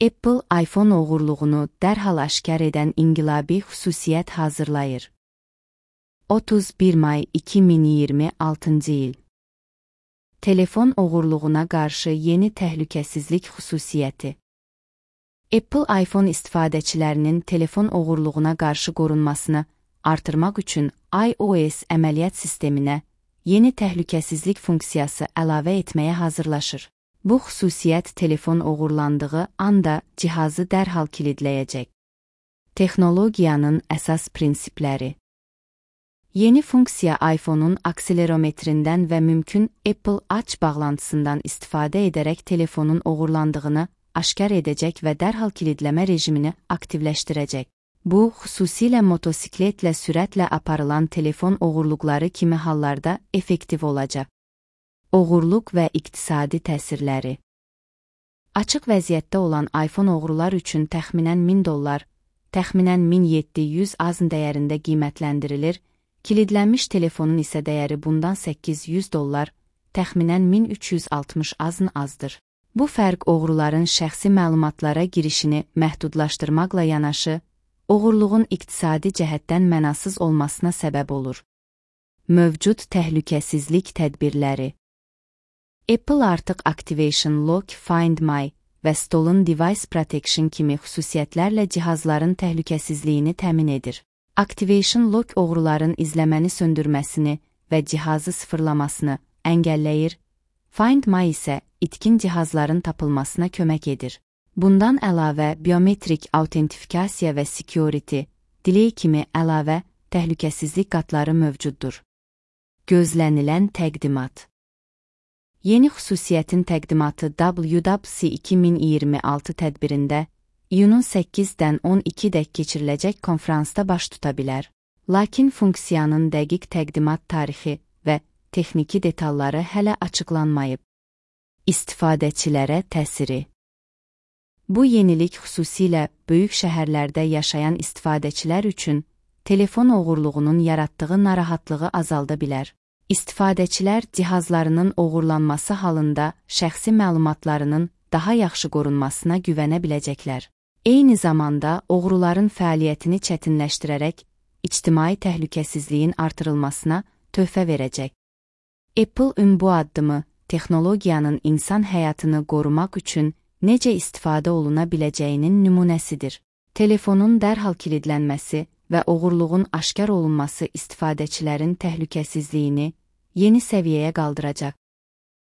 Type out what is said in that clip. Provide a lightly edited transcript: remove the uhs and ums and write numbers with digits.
Apple iPhone oğurluğunu dərhal aşkar edən inqilabi xüsusiyyət hazırlayır. 31 may 2026 il. Telefon oğurluğuna qarşı yeni təhlükəsizlik xüsusiyyəti. Apple iPhone istifadəçilərinin telefon oğurluğuna qarşı qorunmasını artırmaq üçün iOS əməliyyat sisteminə yeni təhlükəsizlik funksiyası əlavə etməyə hazırlaşır. Bu xüsusiyyət telefon oğurlandığı anda cihazı dərhal kilidləyəcək. Texnologiyanın əsas prinsipləri. Yeni funksiya iPhone-un akselerometrindən və mümkün Apple Watch bağlantısından istifadə edərək telefonun oğurlandığını aşkar edəcək və dərhal kilidləmə rejimini aktivləşdirəcək. Bu, xüsusilə motosikletlə sürətlə aparılan telefon oğurluqları kimi hallarda effektiv olacaq. Oğurluq və iqtisadi təsirləri. Açıq vəziyyətdə olan iPhone oğrular üçün təxminən $1000, təxminən 1700 AZN dəyərində qiymətləndirilir, kilidlənmiş telefonun isə dəyəri bundan $800, təxminən 1360 AZN azdır. Bu fərq oğruların şəxsi məlumatlara girişini məhdudlaşdırmaqla yanaşı, oğurluğun iqtisadi cəhətdən mənasız olmasına səbəb olur. Mövcud təhlükəsizlik tədbirləri. Apple artıq Activation Lock, Find My və Stolen Device Protection kimi xüsusiyyətlərlə cihazların təhlükəsizliyini təmin edir. Activation Lock oğruların izləməni söndürməsini və cihazı sıfırlamasını əngəlləyir, Find My isə itkin cihazların tapılmasına kömək edir. Bundan əlavə, biometrik autentifikasiya və security, delay kimi əlavə təhlükəsizlik qatları mövcuddur. Gözlənilən təqdimat. Yeni xüsusiyyətin təqdimatı WWDC 2026 tədbirində iyunun 8-dən 12-dək keçiriləcək konfransda baş tuta bilər. Lakin funksiyanın dəqiq təqdimat tarixi və texniki detalları hələ açıqlanmayıb. İstifadəçilərə təsiri. Bu yenilik xüsusilə böyük şəhərlərdə yaşayan istifadəçilər üçün telefon oğurluğunun yaratdığı narahatlığı azalda bilər. İstifadəçilər cihazlarının oğurlanması halında şəxsi məlumatlarının daha yaxşı qorunmasına güvənə biləcəklər. Eyni zamanda oğruların fəaliyyətini çətinləşdirərək ictimai təhlükəsizliyin artırılmasına töhfə verəcək. Apple bu addımı texnologiyanın insan həyatını qorumaq üçün necə istifadə oluna biləcəyinin nümunəsidir. Telefonun dərhal kilidlənməsi və oğurluğun aşkar olunması istifadəçilərin təhlükəsizliyini yeni səviyyəyə qaldıracaq.